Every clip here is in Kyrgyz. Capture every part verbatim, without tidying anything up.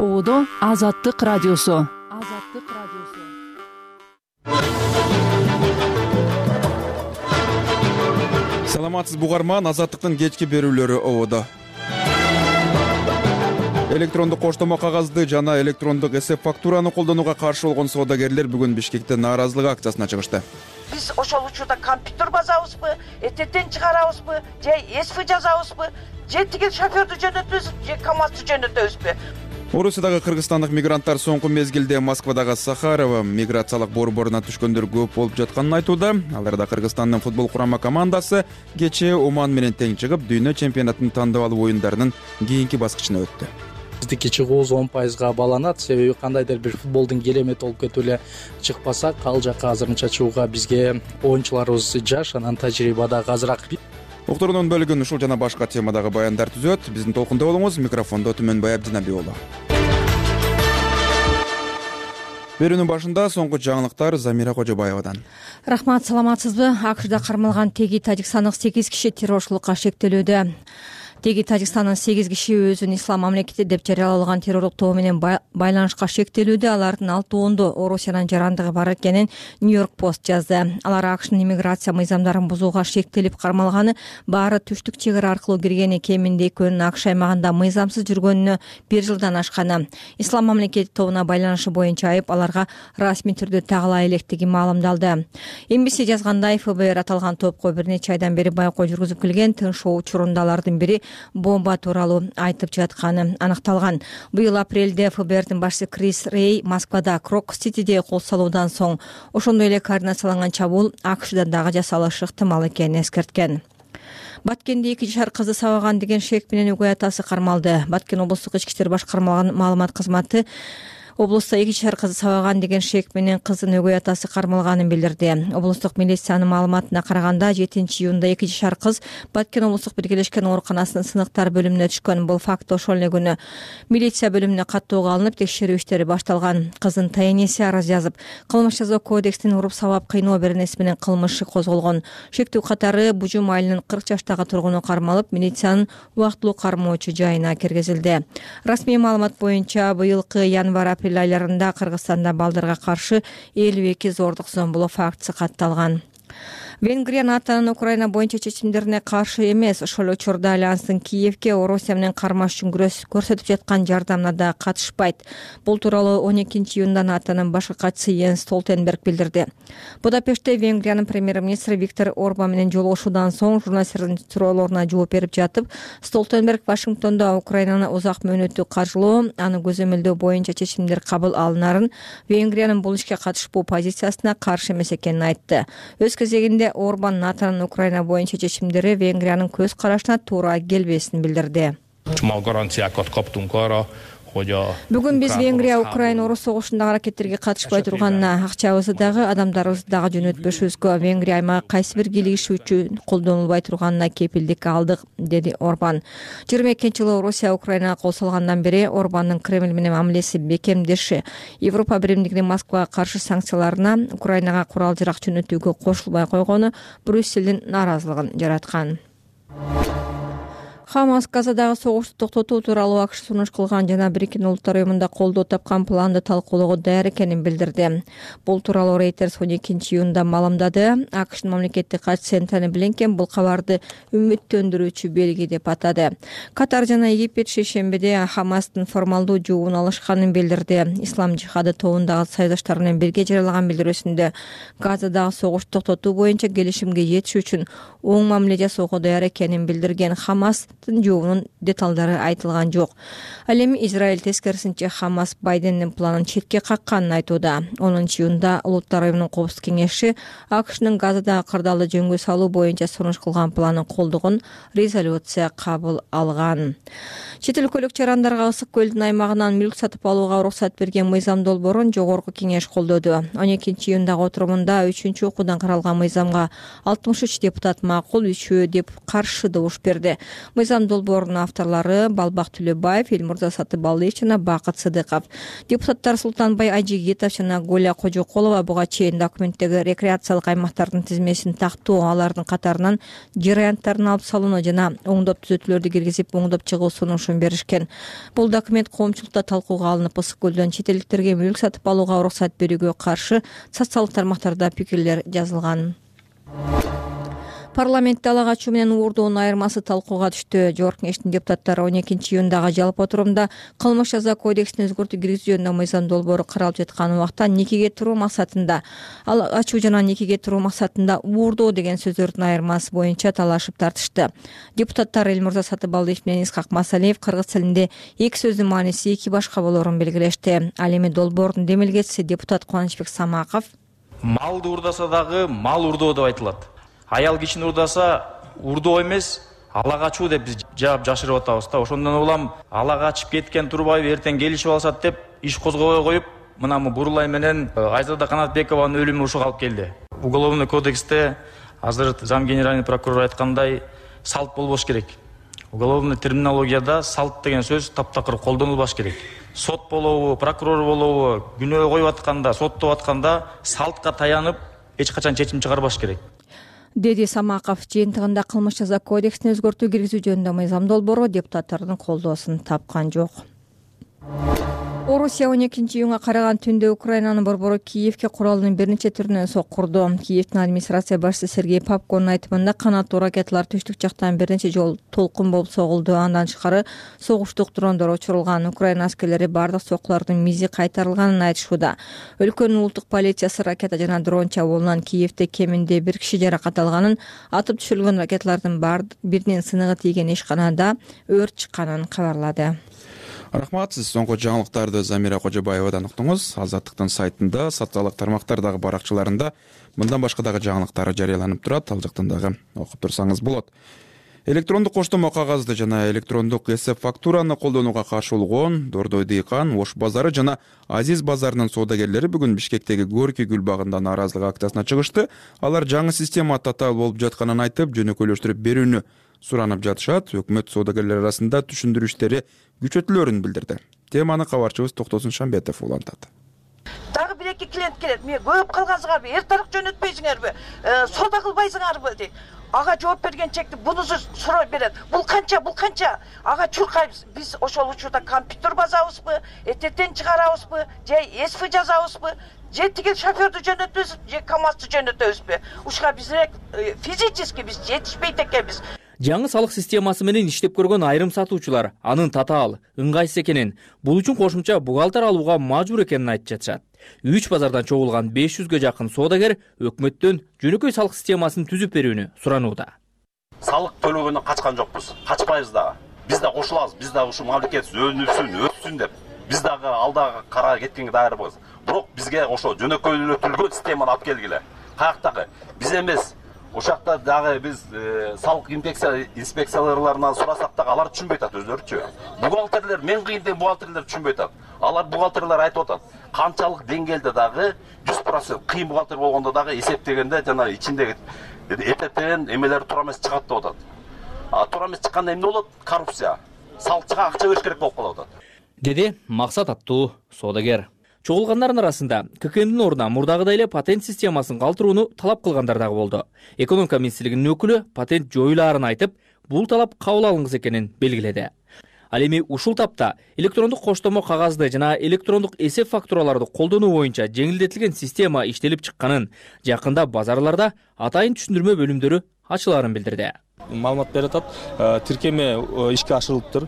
Оодо Азаттык радиосу. Азаттык радиосу. Саламатсыз бугарман, Азаттыктын кечки берүүлөрү Оодо. Электрондук коштомо кагазды жана электрондук эсеп фактураны колдонууга каршы болгон соодагерлер бүгүн Бишкекте нааразылык акциясына чыгышты. Биз ошол учурда компьютер базабызбы, этеттен чыгарабызбы, же эсп жазабызбы, же тиги шоферду жөнөтөбүз, же КамАЗды жөнөтөбүзбү? Орусиядагы кыргызстандык мигранттар соңку мезгилде Москвадагы Сахарова миграциялык борборуна түшкөндөр көп болуп жатканын айтууда. Аларда Кыргызстандын футбол курама командасы кечээ Оман менен тең чыгып, дүйнө чемпионатынын тандабалуу оюндарынын кийинки баскычына өттү. Биздики чыгуубуз он пайызга баланат, себеби кандайдыр бир футболдун керемети болуп кетип эле чыкпасак, ал жакка азырынча чыгууга бизге оюнчуларыбыз жаш, анан тажрыйба дагы азыраак. Уктуруунун бөлүгүн ушул жана башка темадагы баяндар түзөт. Биздин толкунда болуңуз. Микрофондо Түмөнбай Абдинаби уулу. Берүүнүн башында соңку жаңылыктар Замира Кожобаевадан. Рахмат, саламатсызбы? АКШда кармалган теги тажикстандык сегиз киши террорчулукка шектелүүдө. Теги Тажикстандын сегиз киши өзүн ислам мамлекети деп жарыялаган террорлук тобу менен байланышка шектелүүдө. Алардын алтоондо Орусиянын жарандыгы бар экенин Нью-Йорк Пост жазды. Алар АКШнын иммиграция мыйзамдарын бузууга шектелип кармалганы, баары түштүк чек ара аркылуу киргени, кеминде экөөнүн АКШ аймагында мыйзамсыз жүргөнүнө бир жылдан ашканы. Ислам мамлекети тобуна байланышы боюнча айып аларга расмий түрдө тагыла электиги маалымдалды. Эм Би Си жазгандай, Эф Бэ Эр аталган топко бир нече айдан бери байкоо жүргүзүп келген. Тынчоо учурунда алардын бири бомба тууралуу айтып жатканы аныкталган. Быйыл апрелде Эф Бэ Эрдин башчысы Крис Рей Москвада Крок-Ситиде кол салуудан соң ошондой эле координацияланган чабуул АКШда дагы жасалышы ыктымал экенин эскерткен. Баткенде эки жашар кызды сабаган деген шек менен өгөй атасы кармалды. Баткен облустук ички иштер башкармалыгынын маалымат кызматы облустта эки жашар кызды сабаган деген шек менен кыздын өгөй атасы кармалганын билдирди. Облустук милициянын маалыматына караганда, жетинчи июнда эки жашар кыз Баткен облустук биргелешкен ооруканасынын сыныктар бөлүмүнө түшкөн. Бул факт ошол эле күнү милиция бөлүмүнө каттоого алынып, текшерүү иштери башталган. Кыздын тайенеси арыз жазып, кылмыш жаза кодексинин уруп сабап кыйноо беренеси менен кылмышы козголгон. Шектүү катары Бужум айылынын кырк жаштагы тургуну кармалып, милициянын убактылуу кармоочу жайына киргизилди. Расмий маалымат боюнча, быйылкы январь-апрель айларында Кыргызстанда балдарга каршы элүү эки зордук зомбулоо фактысы катталган. Венгрия НАТОнун Украина боюнча чечимдерине каршы эмес. Ошол учурда Альянстын Киевке Орусия менен кармаш үчүн көрсөтүп жаткан жардамына да катышпайт. Бул тууралуу он экинчи июнда НАТОнун башкы катчысы Йенс Столтенберг билдирди. Будапештте Венгриянын премьер-министри Виктор Орбан менен жолугушуудан соң журналисттердин суроолоруна жооп берип жатып, Столтенберг Вашингтондо Украинаны узак мөөнөттүү каржылоо, аны көзөмөлдөө боюнча чечимдер кабыл алынарын, Венгриянын бул ишке катышпоо позициясына каршы эмес экенин айтты. Өз кезегинде Орбан НАТОнун Украина боюнча чечимдери Венгриянын көз карашына туура келбесин билдирди. Бүгүн биз Венгрия Украина уруш согушундагы аракеттерге катышпай турганына, акчабызды дагы, адамдарыбызды дагы жөнөтпөшүбүзгө, Венгрия аймагы кайсы бир кийлигиш үчүн колдонулбай турганына кепилдик алдык, деди Орбан. жыйырма экинчи жылы Орусия Украинага кол салгандан бери Орбандын Кремль менен мамилеси бекемдеши, Европа биримдигинин Москвага каршы санкцияларына, Украинага курал-жарак жөнөтүүгө кошулбай койгону Брюссельдин нааразылыгын жараткан. ХАМАС Газадагы согушту токтотуу тууралуу АКШ сунуш кылган жана Бириккен Улуттар уюмунда колдоо тапкан планды талкуулоого даяр экенин билдирди. Бул тууралуу Reuters он экинчи июнда маалымдады. АКШнын мамлекеттик катчысы Энтони Блинкен бул кабарды үмүттөндүрүүчү белги деп атады. Катар жана Египет шейшембиде ХАМАСтын формалдуу жообун алышканын билдирди. Ислам жихады тобундагы союздаштар менен бирге жарыялаган билдирүүсүндө Газадагы согушту токтотуу боюнча келишимге жетиш үчүн оң мамиле жасоого даяр экенин билдирген. ХАМАС жообунун деталдары айтылган жок. Ал эми Израиль тескерисинче ХАМАС Байдендин планын четке какканын айтууда. онунчу июнда Улуттар уюмунун коопсуздук кеңеши АКШнын Газадагы кырдаалды жөнгө салуу боюнча сунуш кылган планын колдогон резолюция кабыл алган. Чет өлкөлүк жарандарга Ысык көлдүн аймагынан мүлк сатып алууга уруксат берген мыйзам долбоорун жогорку кеңеш колдоду. он экинчи июндагы отурумунда үчүнчү окуудан каралган мыйзамга алтымыш үч депутат макул, үчөө деп каршы добуш берди. Мыйзам Мыйзам долбоорунун авторлору Балбак Түлөбаев, Элмурза Сатыбалдиев жана Бакыт Сыдыков. Депутаттар Султанбай Ажигитов жана Голя Кожоколова буга чейин документтеги рекреациялык аймактардын тизмесин тактоо, алардын катарынан жер аянттарын алып салууну жана оңдоп түзөтүүлөрдү киргизип оңдоп чыгуу сунушун беришкен. Бул документ коомчулукта талкууга алынып, Ысык көлдөн чет элдиктерге мүлк сатып алууга уруксат берүүгө каршы социалдык тармактарда пикирлер жазылган. Парламентте ала качуу менен уурдоонун айырмасы талкууга түштү. Жогорку Кеңештин депутаттары он экинчи июндагы жалпы отурумда кылмыш жаза кодексине өзгөртүү киргизүү жөнүндө мыйзам долбоору каралып жаткан убакта никеге туруу максатында, ала качуу жана никеге туруу максатында уурдоо деген сөздөрдүн айырмасы боюнча талашып тартышты. Депутаттар Элмурза Сатыбалдиев менен Исхак Масалиев кыргыз тилинде эки сөздүн мааниси эки башка болоорун белгилешти. Ал эми долбоордун демилгечиси депутат Кубанычбек Самаков: Малды уурдаса дагы мал уурдоо деп айтылат. Аял кишини уурдаса уурдоо эмес, ала качуу деп биз жаап жашырып атабыз да. Ошондон улам ала качып кеткен Турбаев эртең келишип алышат деп иш козгобой коюп, мына Бурулай менен Айзада Канатбекованын өлүмү ушуга алып келди. Уголовный кодексте азыр зам генеральный прокурор айткандай салт болбош керек. Уголовный терминологияда салт деген сөз таптакыр колдонулбаш керек. Сот болобу, прокурор болобу, күнөө коюп атканда, соттоп атканда салтка таянып эч качан чечим чыгарбаш керек, деди Самаков. Жыйынтыгында кылмыш жаза кодексине өзгөртүү киргизүү жөнүндө мыйзам долбоору депутаттардын колдоосун тапкан жок. Орусия он экинчи июнга караган түндө Украинанын борбору Киевке куралынын бир нече түрүнөн соккурду. Киевдин администрация башчысы Сергей Попконун айтымында канаттуу ракеталар түштүк жактан бир нече жолу толкун болуп согулду. Андан тышкары согуштук дрондор учурулган. Украина аскерлери бардык соккулардын мизи кайтарылганын айтышууда. Өлкөнүн улуттук полициясы ракета жана дрон чабуулунан Киевде кеминде бир киши жаракат алганын, атып түшүрүлгөн ракеталардын биринин сыныгы тийген ишканада өрт чыкканын кабарлады. Рахмат, сиз соңку жаңылыктарды Замира Кожобаевадан уктуңуз. Азаттыктын сайтында, социалдык тармактардагы баракчаларында мындан башка дагы жаңылыктар жарыяланып турат. Ал жактан дагы окуп турсаңыз болот. Электрондук коштомо кагазды жана электрондук эсеп фактураны колдонууга каршы болгон Дордой Дыйкан, Ош базары жана Азиз базарынын соодагерлери бүгүн Бишкектеги Горький гүл багында нааразылык акциясына чыгышты. Алар жаңы система татаал болуп жатканын айтып, жөнөкөйлөштүрүп берүүнү суранып жатышат. Өкмөт соодагерлер арасында түшүндүрүү иштери күчөтүлөөрүн билдирди. Теманы кабарчыбыз Токтосун Шамбетов улантат. Дагы бир эки клиент келет. Мен көп калгансыңарбы, эртарык жөнөтпөйсүңөрбү, соода кылбайсыңарбы дейт. Ага жооп бергенчекти бунусу суроо берет. Бул канча, бул канча? Ага чуркайбыз. Биз ошол учурда компьютер базабызбы, этетен чыгарабызбы, же эсфи жазабызбы, же тиги шоферду жөнөтөбүз, же КамАЗды жөнөтөбүзбү? Ушуга бизрек физически биз жетишпейт экенбиз. Жаңы салык системасы менен иштеп көргөн айрым сатуучулар анын татаал, ыңгайсыз экенин, бул үчүн кошумча бухгалтер алууга мажбур экенин айтып жатышат. Үч базардан чогулган беш жүзгө жакын соодагер өкмөттөн жөнөкөй салык системасын түзүп берүүнү суранууда. Салык төлөгөндөн качкан жокпуз, качпайбыз дагы. Биз да кошулабыз, биз да ушу мамлекет өнүксүн, өссүн деп. Биз дагы алдагы кара кеткенге даярбыз. Бирок бизге ошо жөнөкөйлөтүлгөн системаны алып келгиле. Каяктагы биз эмес. Ошакта дагы биз салык инспекция инспекцияларынан сурасак дагы алар түшүнбөй атат өзлөрүчү. Бухгалтерлер, мен кыйын деген бухгалтерлер түшүнбөй атат. Алар бухгалтерлер айтып атат. Канчалык деңгээлде дагы жүз процент кыйын бухгалтер болгондо дагы эсептегенде жана ичиндеги этетен эмелер туура эмес чыгат деп атат. А туура эмес чыкканда эмне болот? Коррупция. Салыкчыга акча бериш керек болуп калып атат, деди Максат аттуу соодагер. Чогулгандардын арасында ККМдин ордуна мурдагыдай эле патент системасын калтырууну талап кылгандар дагы болду. Экономика министрлигинин өкүлү патент жоюлаарын айтып, бул талап кабыл алынгыс экенин белгиледи. Ал эми ушул тапта электрондук коштомо кагазды жана электрондук эсеп фактураларды колдонуу боюнча жеңилдетилген система иштелип чыкканын, жакында базарларда атайын түшүндүрмө бөлүмдөрү ачылаарын билдирди. Маалымат берип атат, тиркеме ишке ашырылыптыр.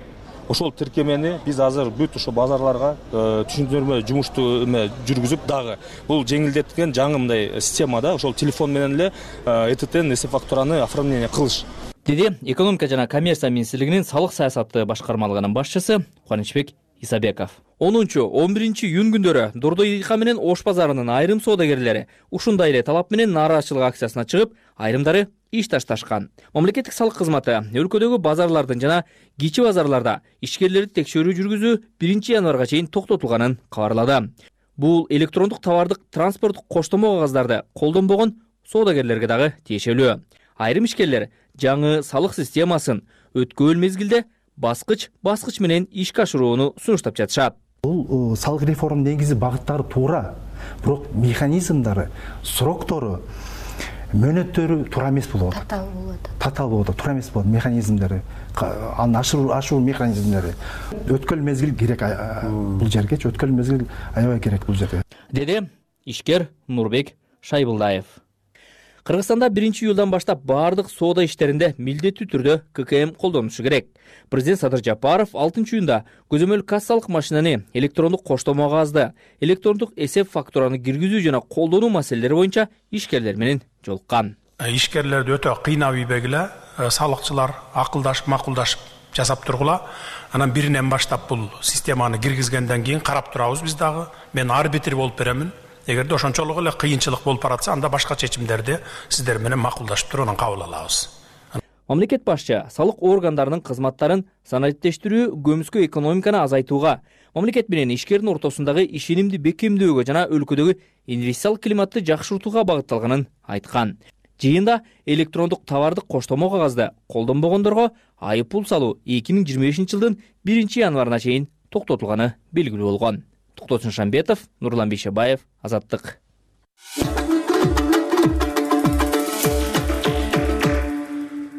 Ошол тиркемени биз азыр бүт ошо базарларга түшүндүрмө жумушту эме жүргүзүп дагы бул жеңилдетилген жаңы мындай системада ошол телефон менен эле этетен эсеп фактураны оформление кылыш, деди экономика жана коммерция министрлигинин салык саясаты башкармалыгынын башчысы Кубанычбек Исабеков. онунчу он биринчи июнь күндөрү Дордой Дыйкан менен Ош базарынын айрым соодагерлери ушундай эле талап менен нааразычылык акциясына чыгып, айрымдары иш ташташкан. Мамлекеттик салык кызматы өлкөдөгү базарлардын жана кичи базарларда ишкерлерди текшерүү жүргүзүү биринчи январга чейин токтотулганын кабарлады. Бул электрондук товардык транспорттук коштомо кагаздарды колдонбогон соодагерлерге дагы тиешелүү. Айрым ишкерлер жаңы салык системасын өткөн мезгилде баскыч баскыч менен ишке ашырууну сунуштап жатышат. Бул салык реформа негизи багыттары туура, бирок механизмдары, сроктору, мөөнөттөрү туура эмес болуп атат. Татаал болуп атат. Татаал болуп атат, туура эмес болот механизмдери, анын ашыруу ашыруу механизмдери. Өткөн мезгил керек бул жергечи, өткөн мезгил аябай керек бул жерге. Деди ишкер Нурбек Шайбылдаев. Кыргызстанда биринчи июлдан баштап баардык соода иштеринде милдеттүү түрдө ка ка эм колдонулушу керек. Президент Садыр Жапаров алтынчы июнда көзөмөл кассалык машинени, электрондук коштомо кагазды, электрондук эсеп фактураны киргизүү жана колдонуу маселелери боюнча ишкерлер менен жолуккан. Ишкерлерди өтө кыйнап ийбегиле, салыкчылар акылдашып, макулдашып жасап тургула. Анан биринен баштап бул системаны киргизгенден кийин карап турабыз биз дагы. Мен арбитр болуп беремин. Эгерде ошончолук эле кыйынчылык болуп баратса, анда башка чечимдерди сиздер менен макулдашып туруп анан кабыл алабыз. Мамлекет башчы салык органдарынын кызматтарын санариптештирүү, көмүскө экономиканы азайтууга, мамлекет менен ишкердин ортосундагы ишенимди бекемдөөгө жана өлкөдөгү инвестициялык климатты жакшыртууга багытталганын айткан. Жыйында электрондук товардык коштомо кагазды колдонбогондорго айып пул салуу эки миң жыйырма бешинчи жылдын биринчи январына чейин токтотулганы белгилүү болгон. Токтосун Шамбетов, Нурлан Бейшебаев, Азаттык.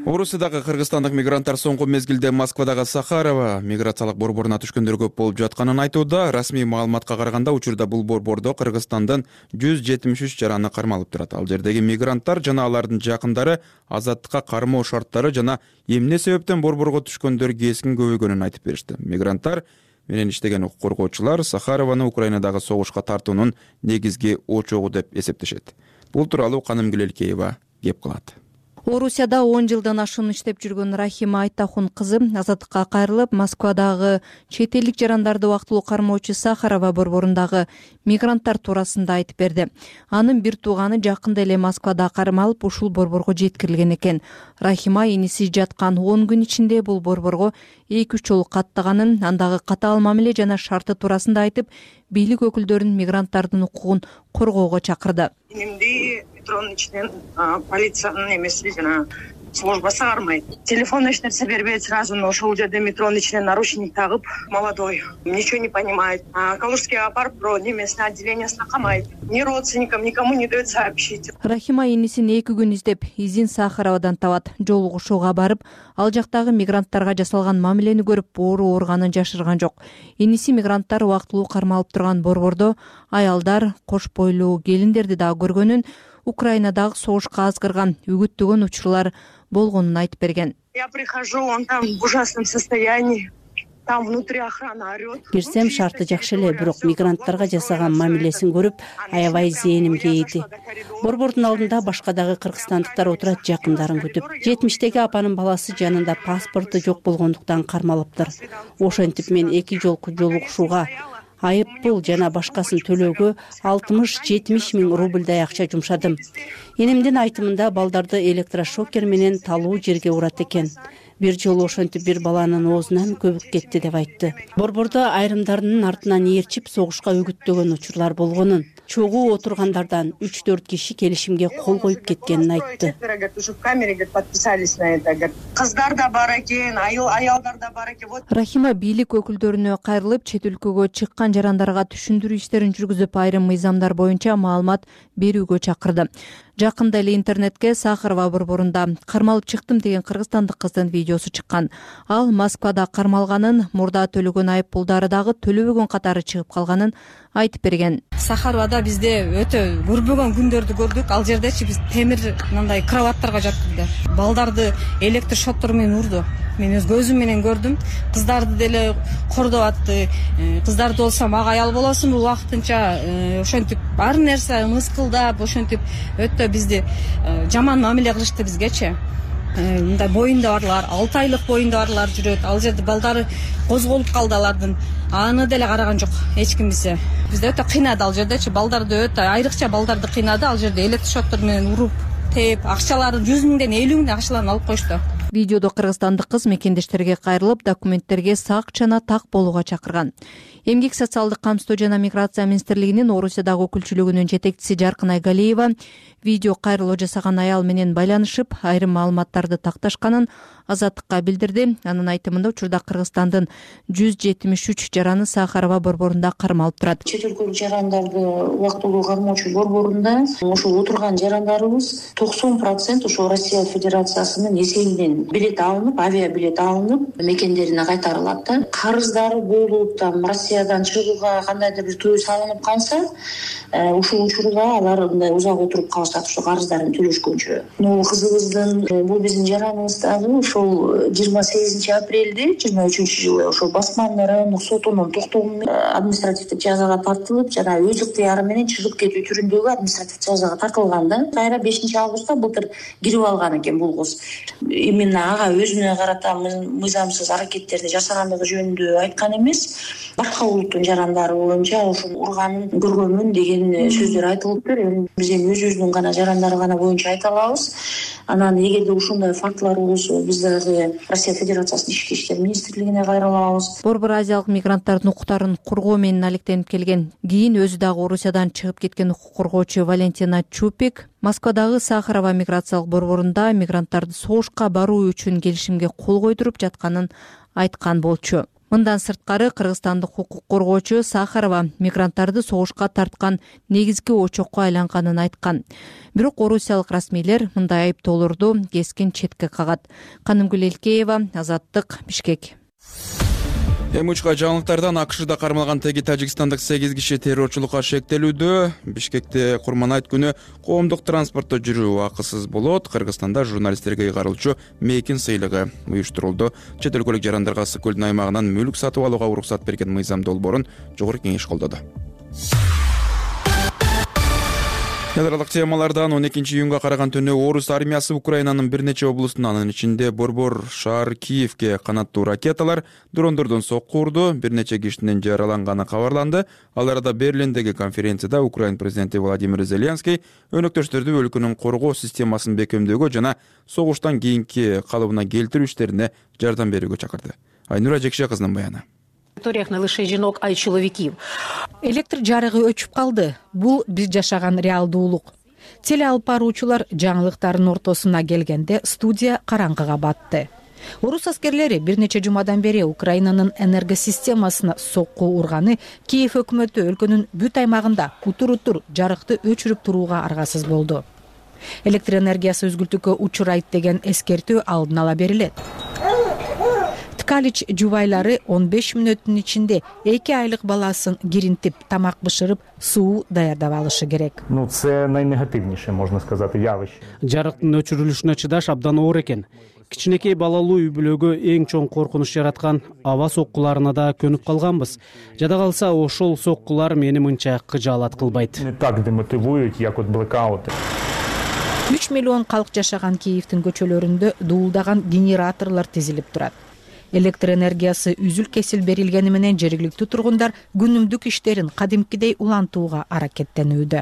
Орусиядагы кыргызстандык мигранттар соңку мезгилде Москвадагы Сахарова миграциялык борборуна түшкөндөр көп болуп жатканын айтууда. Расмий маалыматка караганда учурда бул борбордо Кыргызстандын жүз жетимиш үч жараны кармалып турат. Ал жердеги мигранттар жана алардын жакындары азаттыкка кармоо шарттары жана эмне себептен борборго түшкөндөр кескин көбөйгөнүн айтып беришти. Мигранттар менен иштеген укук коргоочулар Сахарованы Украинадагы согушка тартуунун негизги очогу деп эсептешет. Бул тууралуу Каным Гүлелкеева кеп кылат. Орусияда он жылдан ашуун иштеп жүргөн Рахима Айтахун кызы азаттыкка кайрылып, Москвадагы чет элдик жарандарды убактылуу кармоочу Сахарова борборундагы мигранттар туурасында айтып берди. Анын бир тууганы жакында эле Москвада кармалып, ушул борборго жеткирилген экен. Рахима иниси жаткан он күн ичинде бул борборго эки үч жолу каттаганын, андагы катаал мамиле жана шарты туурасында айтып, бийлик өкүлдөрүн мигранттардын укугун коргоого чакырды. Метронун ичинен полициянын эмеси жана службасы кармайт. Телефон эч нерсе бербейт, сразу ошол жерде метронун ичинен наручник тагып, молодой, ничего не понимает. Калужскийге апарып, бро, немесине отделениясына камайт. Ни родственникам, никому не дает сообщить. Рахима инисин эки күн издеп, изин Сахаровадан табат. Жолугушууга барып, ал жактагы мигранттарга жасалган мамилени көрүп, оору ооруганын жашырган жок. Иниси мигранттар убактылуу кармалып турган борбордо аялдар, кош бойлуу келиндерди да көргөнүн, Украинадагы согушка азгырган, үгүттөгөн учурлар болгонун айтып берген. Я прихожу, он там в ужасном состоянии. Там внутри охрана орёт. Кирсем шарты жакшы эле, бирок мигранттарга жасаган мамилесин көрүп, аябай зээнимге ийди. Борбордун алдында башка дагы кыргызстандыктар отурат, жакындарын күтүп. жетимиштеги апанын баласы жанында паспорту жок болгондуктан кармалыптыр. Ошентип мен эки жолку жолугушууга, айып пул жана башкасын төлөөгө алтымыш жетимиш миң рубльдай акча жумшадым. Энемдин айтымында балдарды электрошокер менен талуу жерге урат экен. Бир жолу ошентип бир баланын оозунан көбүк кетти деп айтты. Борбордо айрымдарынын артынан ээрчип согушка үгүттөгөн учурлар болгонун, чогуу отургандардан үч төрт киши келишимге кол коюп кеткенин айтты. Уже в камере подписались на это. Кыздар да бар экен, аялдар да бар экен. Рахима бийлик өкүлдөрүнө кайрылып, чет өлкөгө чыккан жарандарга түшүндүрүү иштерин жүргүзүп, айрым мыйзамдар боюнча маалымат берүүгө чакырды. Жакында эле интернетке Сахарова борборунда кармалып чыктым деген кыргызстандык кыздын видеосу чыккан. Ал Москвада кармалганын, мурда төлөгөн айып пулдары дагы төлөбөгөн катары чыгып калганын айтып берген. Сахаровада бизде өтө көрбөгөн күндөрдү көрдүк. Ал жердечи биз темир мындай кроваттарга жаткырды. Балдарды электр шоттор менен урду. Мен өз көзүм менен көрдүм. Кыздарды деле кордоп атты. Кыздарды болсо мага аял болосуң, убактынча ошентип бар нерсе мыскылдап, ошентип өтө бизди жаман мамиле кылышты бизгечи. Мындай боюнда барлар, алты айлык боюнда барлар жүрөт. Ал жерде балдары козголуп калды алардын. Аны деле караган жок эч ким бизе. Бизде өтө кыйнады ал жердечи, балдарды өтө айрыкча балдарды кыйнады. Ал жерде электрошоттор менен уруп, теп, акчаларын жүз миңден элүү миңден акчаларын алып коюшту. Видеодо кыргызстандык кыз мекендештерге кайрылып, документтерге сак жана так болууга чакырган. Эмгек социалдык камсыздоо жана миграция министрлигинин Орусиядагы өкүлчүлүгүнүн жетекчиси Жаркын Айгалиева видео кайрылуу жасаган аял менен байланышып, айрым маалыматтарды такташканын Азаттыкка билдирди. Анын айтымында учурда Кыргызстандын жүз жетимиш үч жараны Сахарова борборунда кармалып турат. Чет өлкөлүк жарандарды убактылуу кармоочу борборунда ошо отурган жарандарыбыз токсон процент ошо Россия Федерациясынын эсебинен билет алынып, авиа билет алынып, мекендерине кайтарылат да. Карыздары болуп, там Россиядан чыгууга кандайдыр бир тыюу салынып калса, ушул учурда алар мындай узак отуруп калышат, ошо карыздарын төлөшкөнчө. Могу кызыбыздын, бул биздин жараныбыз дагы ошол жыйырма сегизинчи апрелде жыйырма үчүнчү жылы ошо басманын райондук сотунун токтогу менен административдик жазага тартылып, жана өз ыктыяры менен чыгып кетүү түрүндөгү административдик жазага тартылган да. Кайра бешинчи августта былтыр кирип алган экен бул кыз. Именно ага өзүнө карата мыйзамсыз аракеттерди жасагандыгы жөнүндө айткан эмес, башка улуттун жарандары боюнча ошо урганын көргөнмүн деген сөздөр айтылыптыр. Эми биз эми өзүбүздүн гана жарандары гана боюнча айта алабыз. Анан эгерде ушундай фактылар болсо, биз дагы Россия Федерациясынын ички иштер министрлигине кайрылабыз. Борбор азиялык мигранттардын укуктарын коргоо менен алектенип келген, кийин өзү дагы Орусиядан чыгып кеткен укук коргоочу Валентина Чупик Москвадагы Сахарова миграциялык борборунда мигранттарды согушка баруу үчүн келишимге кол койдуруп жатканын айткан болчу. Мындан сырткары кыргызстандык укук коргоочу Сахарова мигранттарды согушка тарткан негизги очокко айланганын айткан. Бирок орусиялык расмийлер мындай айыптоолорду кескин четке кагат. Канымгүл Элкеева, Азаттык, Бишкек. Эми учка жаңылыктардан АКШда кармалган теги тажикстандык сегиз киши террорчулукка шектелүүдө. Бишкекте Курман айт күнү коомдук транспортто жүрүү акысыз болот. Кыргызстанда журналисттерге ыйгарылчу мейкин сыйлыгы уюштурулду. Чет өлкөлүк жарандарга Ысык көлдүн аймагынан мүлк сатып алууга уруксат берген мыйзам долбоорун Жогорку Кеңеш колдоду. Эл аралык темалардан он экинчи июнга караган түнү орус армиясы Украинанын бир нече облустун, анын ичинде Борбор шаар Киевке канаттуу ракеталар, дрондордон сокку урду, бир нече кишинин жараланганы кабарланды. Ал арада Берлиндеги конференцияда Украин президенти Владимир Зеленский өнөктөштөрдү өлкөнүн коргоо системасын бекемдөөгө жана согуштан кийинки калыбына келтирүү иштерине жардам берүүгө чакырды. Айнура Жекше кызынын баяны. Не лише жинок, а и чоловіків. Электр жарыгы өчүп калды. Бул биз жашаган реалдуулук. Теле алып баруучулар жаңылыктардын ортосуна келгенде студия караңгыга батты. Орус аскерлери бир нече жумадан бери Украинанын энергосистемасына сокку урганы Киев өкмөтү өлкөнүн бүт аймагында утур-утур жарыкты өчүрүп турууга аргасыз болду. Электр энергиясы үзгүлтүккө учурайт деген эскертүү алдын ала берилет. Ткалич жубайлары он беш мүнөттүн ичинде эки айлык баласын киринтип, тамак бышырып, суу даярдап алышы керек. Ну, це найнегативніше, можна сказати, явище. Жарыктын өчүрүлүшүнө чыдаш абдан оор экен. Кичинекей балалуу үй бүлөгө эң чоң коркунуч жараткан аба соккуларына да көнүп калганбыз. Жада калса ошол соккулар мени мынча кыжаалат кылбайт. Не так демотивуют, як от блекаути. үч миллион калк жашаган Киевдин көчөлөрүндө дуулдаган генераторлор тизилип турат. Электр энергиясы үзүл-кесил берилгени менен жергиликтүү тургундар күнүмдүк иштерин кадимкидей улантууга аракеттенүүдө.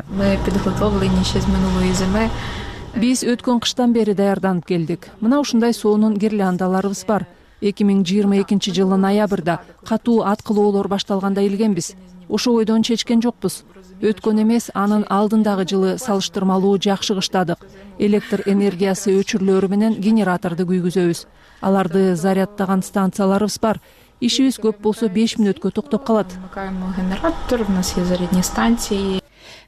Биз өткөн кыштан бери даярданып келдик. Мына ушундай соонун гирляндаларыбыз бар. эки миң жыйырма экинчи жылдын ноябрда катуу аткылоолор башталганда илгенбиз. Ошо ойдон чечкен жокпуз. Өткөн эмес, анын алдындагы жылы салыштырмалуу жакшы кыштадык. Электр энергиясы өчүрүлөрү менен генераторду күйгүзөбүз. Аларды зарядтаган станцияларыбыз бар. Ишибиз көп болсо беш мүнөткө токтоп калат.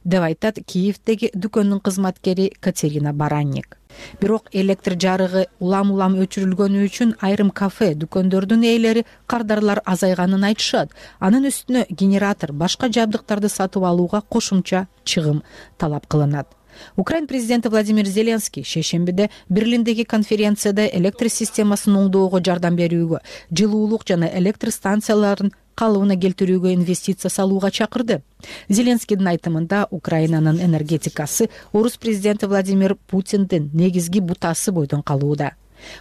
Деп айтат Киевдеги дүкөндүн кызматкери Катерина Баранник. Бирок электр жарыгы улам-улам өчүрүлгөнү үчүн айрым кафе, дүкөндөрдүн ээлери кардарлар азайганын айтышат. Анын үстүнө генератор, башка жабдыктарды сатып алууга кошумча чыгым талап кылынат. Украин президенти Владимир Зеленский шейшембиде Берлиндеги конференцияда электр системасын оңдоого жардам берүүгө, жылуулук жана электр станцияларын калыбына келтирүүгө инвестиция салууга чакырды. Зеленскийдин айтымында Украинанын энергетикасы орус президенти Владимир Путиндин негизги бутасы бойдон калууда.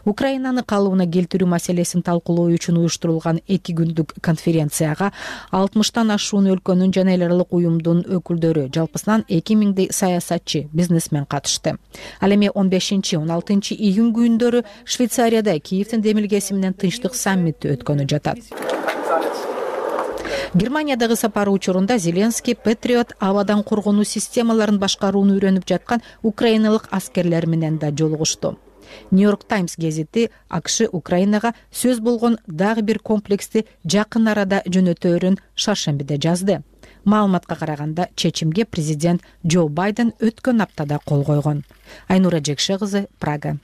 Украинаны калыбына келтирүү маселесин талкуулоо үчүн уюштурулган эки күндүк конференцияга алтымыштан ашуун өлкөнүн жана эл аралык уюмдун өкүлдөрү, жалпысынан эки миңдей саясатчы, бизнесмен катышты. Ал эми он бешинчи он алтынчы июнь күндөрү Швейцарияда Киевдин демилгеси менен тынчтык саммити өткөнү жатат. Германиядагы сапары учурунда Зеленский Патриот абадан коргонуу системаларын башкарууну үйрөнүп жаткан украиналык аскерлер менен да жолугушту. Нью-Йорк Таймс гезити АКШ Украинага сөз болгон дагы бир комплексти жакын арада жөнөтөөрүн шаршембиде жазды. Маалыматка караганда чечимге президент Джо Байден өткөн аптада кол койгон. Айнура Жекше кызы, Прага.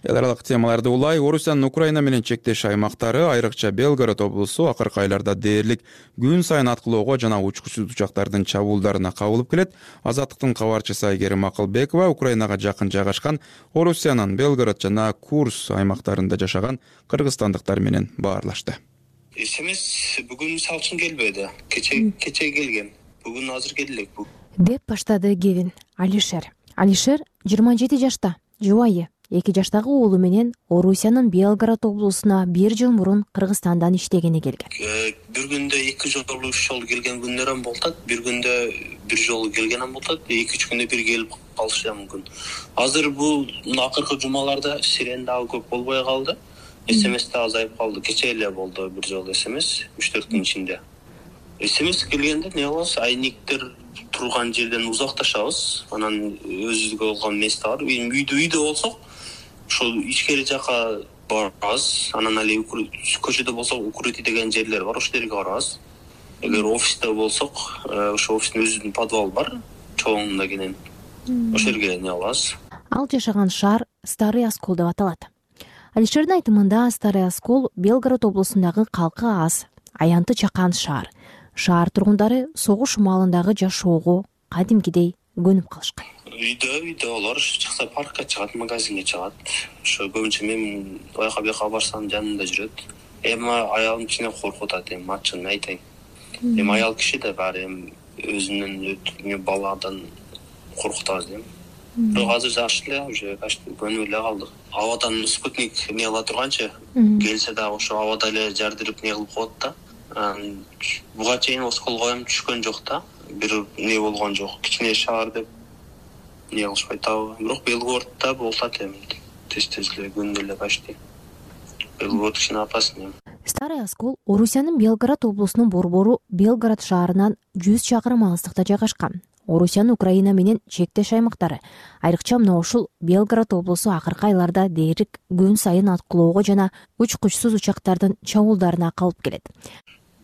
Эл аралык темаларды улай Орусиянын Украина менен чектеш аймактары, айрыкча Белгород облусу акыркы айларда дээрлик күн сайын аткылоого жана учкучсуз учактардын чабуулдарына кабылып келет. Азаттыктын кабарчысы Айгерим Акылбекова Украинага жакын жайгашкан Орусиянын Белгород жана Курс аймактарында жашаган кыргызстандыктар менен баарлашты. Эсемес бүгүн салчын келбеди. Кече кече келген. Бүгүн азыр келдик. Деп баштады Кевин. Алишер. Алишер жыйырма жети жашта, жубайы. эки жаштагы уулу менен Орусиянын Белгород облусуна бир жыл мурун Кыргызстандан иштегени келген. Бир күндө эки жолу үч жолу келген күндөрүм болот, бир күндө бир жолу келгенем болот, эки үч күндө бир келип калышы мүмкүн. Азыр бул акыркы жумаларда сирен дагы көп болбой калды. СМС да азайып калды. Кече эле болду бир жолу СМС үч төрт күн ичинде. СМС келгенде не болот? Айниктер турган жерден узакташабыз. Анан өзүбүзгө болгон месте бар. Үйдө үйдө болсок, ошол ичкери жака барабыз. Анан али көчөдө болсок, укрытий деген жерлер бар, ошол жерге барабыз. Эгер офисте болсок, ошо офистин өзүнүн подвалы бар, чоңунда кенен. Ошол жерге не алабыз. Ал жашаган шаар Старый Оскол деп аталат. Алишердин айтымында Старый Оскол Белгород облусундагы калкы аз, аянты чакан шаар. Шаар тургундары согуш маалындагы жашоого кадимкидей көнүп калышкан. Үйдө үйдө алар чыкса паркка чыгат, магазинге чыгат. Ошо көбүнчө мен аяка бияка барсам жанымда жүрөт. Эми аялым кичине коркуп атат, эми ачыгын айтайын. Эми аял киши да баары эми өзүнүн баладан коркуп атабыз дейм. Бирок азыр жакшы эле, уже көнүп эле калдык. Абадан спутник не кыла турганчы, келсе дагы ошо абада эле жардырып не кылып коет да. Буга чейин Осколго эми түшкөн жок да. Бир не болгон жок. Кичине шаар деп не кылышпайт дагы. Бирок Белгороддо болот эми. Тез-тез эле күндө эле почти. Белгород кичине опасный. Старый Оскол Орусиянын Белгород облусунун борбору Белгород шаарынан жүз чакырым алыстыкта жайгашкан. Орусиянын Украина менен чектеш аймактары, айрыкча мына ушул Белгород облусу акыркы айларда дээрлик күн сайын аткылоого жана учкучсуз учактардын чабуулдарына калып келет.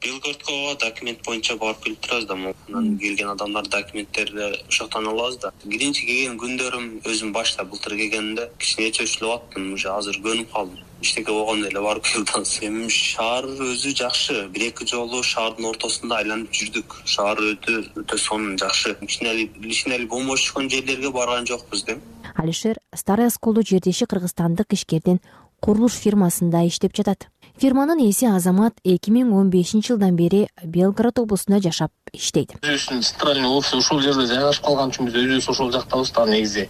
Белгородко документ боюнча барып келип турабыз да, анан келген адамдар документтерди ошоктон алабыз да. Биринчи келген күндөрүм өзүм башта былтыр келгенде кичине чөчүлүп аттым, уже азыр көнүп калдым. Иштеке болгондо эле барып келдим. Эми шаар өзү жакшы. Бир эки жолу шаардын ортосунда айланып жүрдүк. Шаар өтө өтө сонун жакшы. Кичине личине бомош түшкөн жерлерге барган жокпуз да. Алишер Старый Осколдо жердеши кыргызстандык ишкердин курулуш фирмасында иштеп жатат. Фирманын ээси Азамат эки миң он бешинчи жылдан бери Белгород облусунда жашап иштейт. Өзүбүздүн центральный офис ушул жерде жайгашып калган үчүн биз өзүбүз ошол жактабыз да. Негизи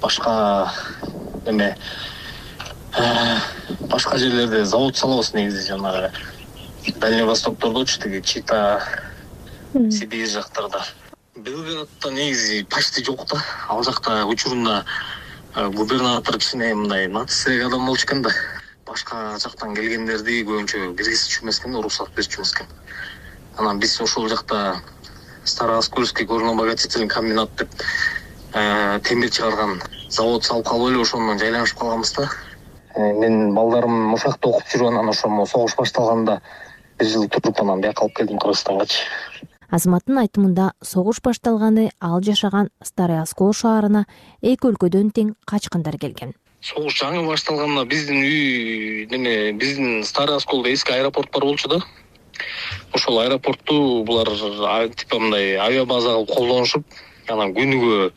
башка эме башка жерлерде завод салабыз, негизи жанагы Дальний Востоктордочу, тиги Чита, Сибирь жактарда. Белгороддо негизи почти жок да. Ал жакта учурунда губернатор кичине мындай нациялык адам болчу экен да. Башка жактан келгендерди көбүнчө киргизчү эмес экен, уруксат берчү эмес экен. Анан биз ошол жакта Старооскольский горно-обогатительный комбинат деп темир чыгарган завод салып калып эле ошондон жайланышып калганбыз да. Мен балдарым ошол жакта окуп жүрүп, анан ошо согуш башталганда бир жыл туруп анан бияка алып келдим Кыргызстангачы. Азаматтын айтымында согуш башталганы ал жашаган Старый Оскол шаарына эки өлкөдөн тең качкындар келген. Согуш жаңы башталганда биздин үй неме биздин Старый Осколдо эски аэропорт бар болчу да. Ошол аэропортту булар типа мындай авиабаза кылып колдонушуп, анан күнүгө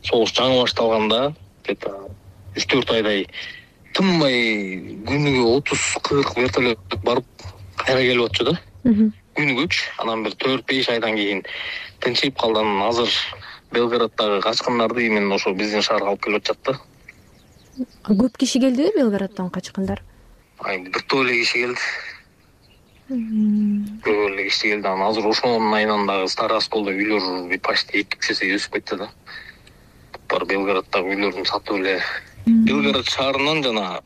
согуш жаңы башталганда где-то үч төрт айдай тынбай күнүгө отуз кырк вертолет барып кайра келип атчу да. Күнүгөчү. Анан бир төрт беш айдан кийин тынчыйып калды. Азыр Белгороддогу качкындарды именно ошо биздин шаарга алып келип атышат да. Көп киши келдиби Белградтан качкандар? бир топ эле киши келди. Көп эле киши келди. Анан азыр ошонун айынан дагы Старый Осколдо үйлөр почти эки үч эсе өсүп кетти да. Бар Белграддагы үйлөрдүн сатып эле Белград шаарынан жана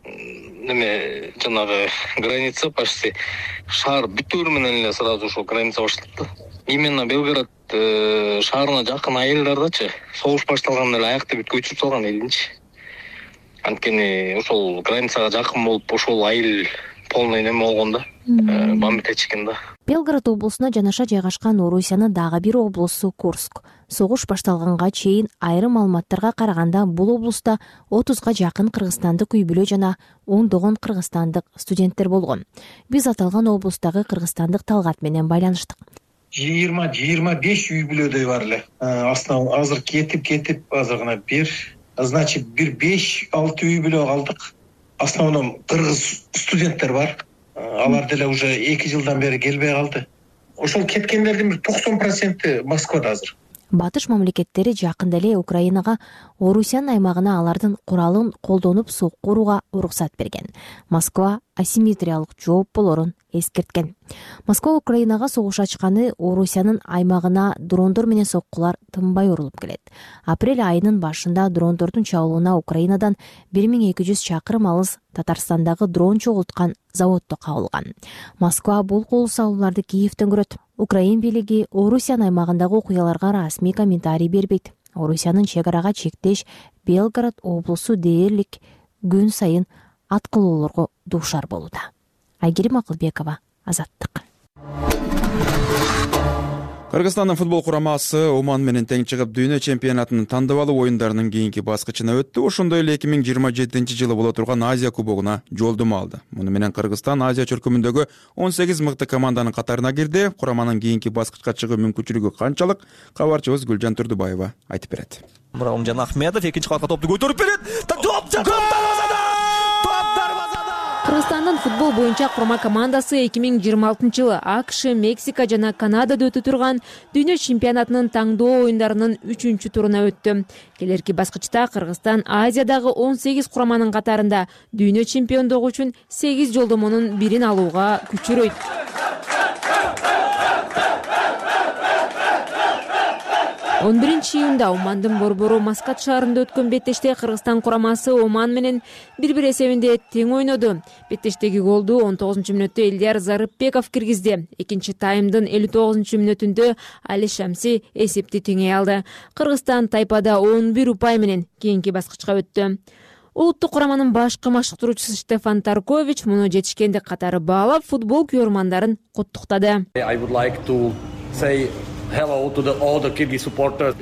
неме жанагы граница почти шаар бүтүрү менен эле сразу ошо граница башталат да. Именно Белград шаарына жакын айылдардачы согуш башталгандан эле аякты бүт көчүрүп салган элинчи. Анткени ошол границага жакын болуп ошол айыл полный неме болгон да. Бамбетечкен да. Белград облусуна жанаша жайгашкан Орусиянын дагы бир облусу Курск. Согуш башталганга чейин айрым маалыматтарга караганда бул облуста отузга жакын кыргызстандык үй бүлө жана ондогон кыргызстандык студенттер болгон. Биз аталган облустагы кыргызстандык Талгат менен байланыштык. жыйырма жыйырма беш үй бүлөдөй бар эле. Астына азыр кетип кетип азыр гана бир, значит бир беш алты үй бүлө калдык. Основном кыргыз студенттер бар. Алар деле уже эки жылдан бери келбей калды. Ошол кеткендердин бир токсон проценти Москвада азыр. Батыш мамлекеттери жакында эле Украинага Орусиянын аймагына алардын куралын колдонуп сокку урууга уруксат берген. Москва асимметриялык жооп болорун эскерткен. Москва Украинага согуш ачканы Орусиянын аймагына дрондор менен соккулар тынбай урулуп келет. Апрель айынын башында дрондордун чабуулуна Украинадан бир миң эки жүз чакырым алыс Татарстандагы дрон чогулткан заводдо кабылган. Москва бул кол салууларды Киевден көрөт. Украин бийлиги Орусиянын аймагындагы окуяларга расмий комментарий бербейт. Орусиянын чек арага чектеш Белград облусу дээрлик күн сайын аткылоолорго дуушар болууда. Айгерим Акылбекова, Азаттык. Кыргызстандын футбол курамасы Оман менен тең чыгып дүйнө чемпионатынын тандабалуу оюндарынын кийинки баскычына өттү. Ошондой эле эки миң жыйырма жетинчи жылы боло турган Азия кубогуна жолдомо алды. Муну менен Кыргызстан Азия чөлкөмүндөгү он сегиз мыкты команданын катарына кирди. Кураманын кийинки баскычка чыгуу мүмкүнчүлүгү канчалык? Кабарчыбыз Гүлжан Турдубаева айтып берет. Муромжан Ахмедов экинчи кабатка топту көтөрүп берет. Топ Кыргызстандын футбол боюнча курама командасы эки миң жыйырма алтынчы жылы АКШ, Мексика жана Канадада өтө турган дүйнө чемпионатынын таңдоо оюндарынын үчүнчү туруна өттү. Келерки баскычта Кыргызстан Азиядагы он сегиз кураманын катарында дүйнө чемпиондугу үчүн сегиз жолдомонун бирин алууга күчөрөйт. он биринчи июнда Омандын борбору Маскат шаарында өткөн беттеште Кыргызстан курамасы Оман менен бир-бир эсебинде тең ойноду. Беттештеги голду он тогузунчу мүнөттө Элдияр Зарыпбеков киргизди. Экинчи таймдын элүү тогузунчу мүнөтүндө Али Шамси эсепти теңей алды. Кыргызстан Тайпада он бир упай менен кийинки баскычка өттү. Улуттук кураманын башкы машыктыруучусу Стефан Таркович муну жетишкендик катары баалап футбол күйөрмандарын куттуктады.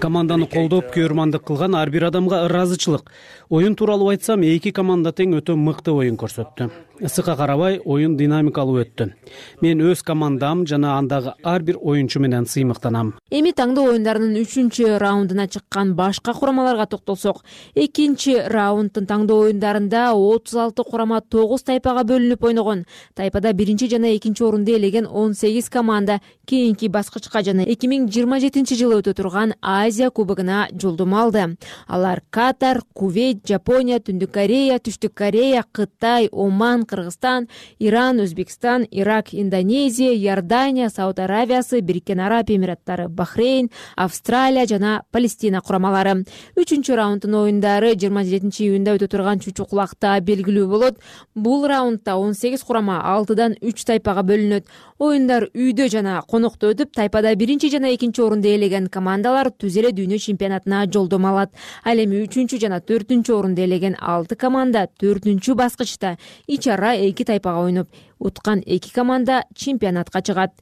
Команданы колдоп күйөрмандык кылган ар бир адамга ыраазычылык. Оюн тууралуу айтсам, эки команда тең өтө мыкты оюн көрсөттү. Ысыкка карабай, оюн динамикалуу өттү. Мен өз командам жана андагы ар бир оюнчу менен сыймыктанам. Эми таңдоо оюндарынын үчүнчү раундуна чыккан башка курамаларга токтолсок, экинчи раунддун таңдоо оюндарында отуз алты курама тогуз тайпага бөлүнүп ойногон. Тайпада биринчи жана экинчи орунду ээлеген он сегиз команда кийинки баскычка жана эки миң жыйырма жетинчи жылы өтө турган Азия кубогуна жолдомо алды. Алар Катар, Кувейт, Жапония, Түндүк Корея, Түштүк Корея, Кытай, Оман, Кыргызстан, Иран, Өзбекстан, Ирак, Индонезия, Иордания, Сауд Аравиясы, Бириккен Араб Эмираттары, Бахрейн, Австралия жана Палестина курамалары. Үчүнчү раунддун оюндары жыйырма жетинчи июнда өтө турган Чучукулакта белгилүү болот. Бул раундда он сегиз курама алтыдан үч тайпага бөлүнөт. Оюндар үйдө жана конокто өтүп, Тайпада биринчи жана экинчи орунду ээлеген командалар түз эле дүйнө чемпионатына жолдомо алат. Ал эми үчүнчү жана төртүнчү орунду ээлеген алты команда төртүнчү баскычта ич ара эки тайпага ойноп, уткан эки команда чемпионатка чыгат.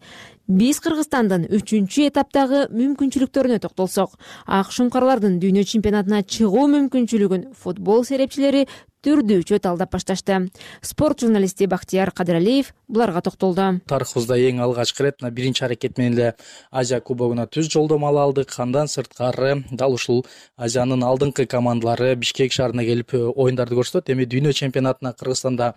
Биз Кыргызстандын үчүнчү этаптагы мүмкүнчүлүктөрүнө токтолсок, ак шуңкарлардын дүйнө чемпионатына чыгуу мүмкүнчүлүгүн футбол серепчилери түрдүүчө талдап башташты. Спорт журналисти Бактияр Кадыралиев буларга токтолду. Тарыхыбызда эң алгачкы ирет мына биринчи аракет менен эле Азия кубогуна түз жолдомо ала алдык. Андан сырткары дал ушул Азиянын алдыңкы командалары Бишкек шаарына келип оюндарды көрсөтөт. Эми дүйнө чемпионатына Кыргызстанда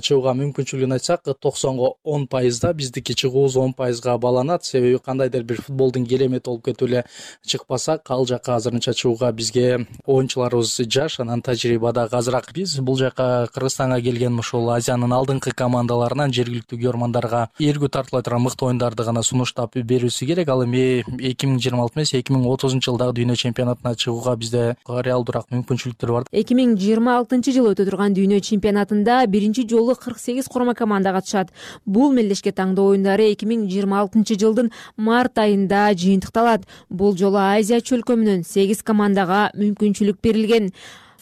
чыгууга мүмкүнчүлүгүн айтсак, токсонго он пайызда, биздики чыгуубуз он пайызга баланат. Себеби кандайдыр бир футболдун керемети болуп кетип эле чыкпасак, ал жака азырынча чыгууга бизге оюнчуларыбыз жаш, анан тажрыйба дагы азыраак. Биз бул жака Кыргызстанга келген ушул Азиянын алдыңкы командаларынан жергиликтүү көрмандарга эргүү тартыла турган мыкты оюндарды гана сунуштап берүүсү керек. Ал эми эки миң жыйырма алты эмес, эки миң отузунчу жылдагы дүйнө чемпионатына чыгууга бизде реалдуураак мүмкүнчүлүктөр бар. эки миң жыйырма алтынчы жылы өтө турган дүйнө чемпионатында биринчи жолу кырк сегиз курама команда катышат. Бул мелдешке таңдоо оюндары эки миң жыйырма алтынчы жылдын март айында жыйынтыкталат. Бул жолу Азия чөлкөмүнөн сегиз командага мүмкүнчүлүк берилген.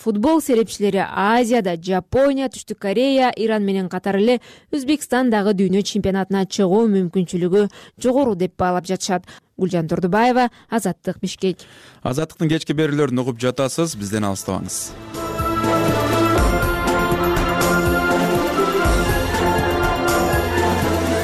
Футбол серепчилери Азияда Жапония, Түштүк Корея, Иран менен катар эле Өзбекстан дагы дүйнө чемпионатына чыгуу мүмкүнчүлүгү жогору деп баалап жатышат. Гүлжан Турдубаева, Азаттык, Бишкек. Азаттыктын кечки берүүлөрүн угуп жатасыз, бизден алыстабаңыз.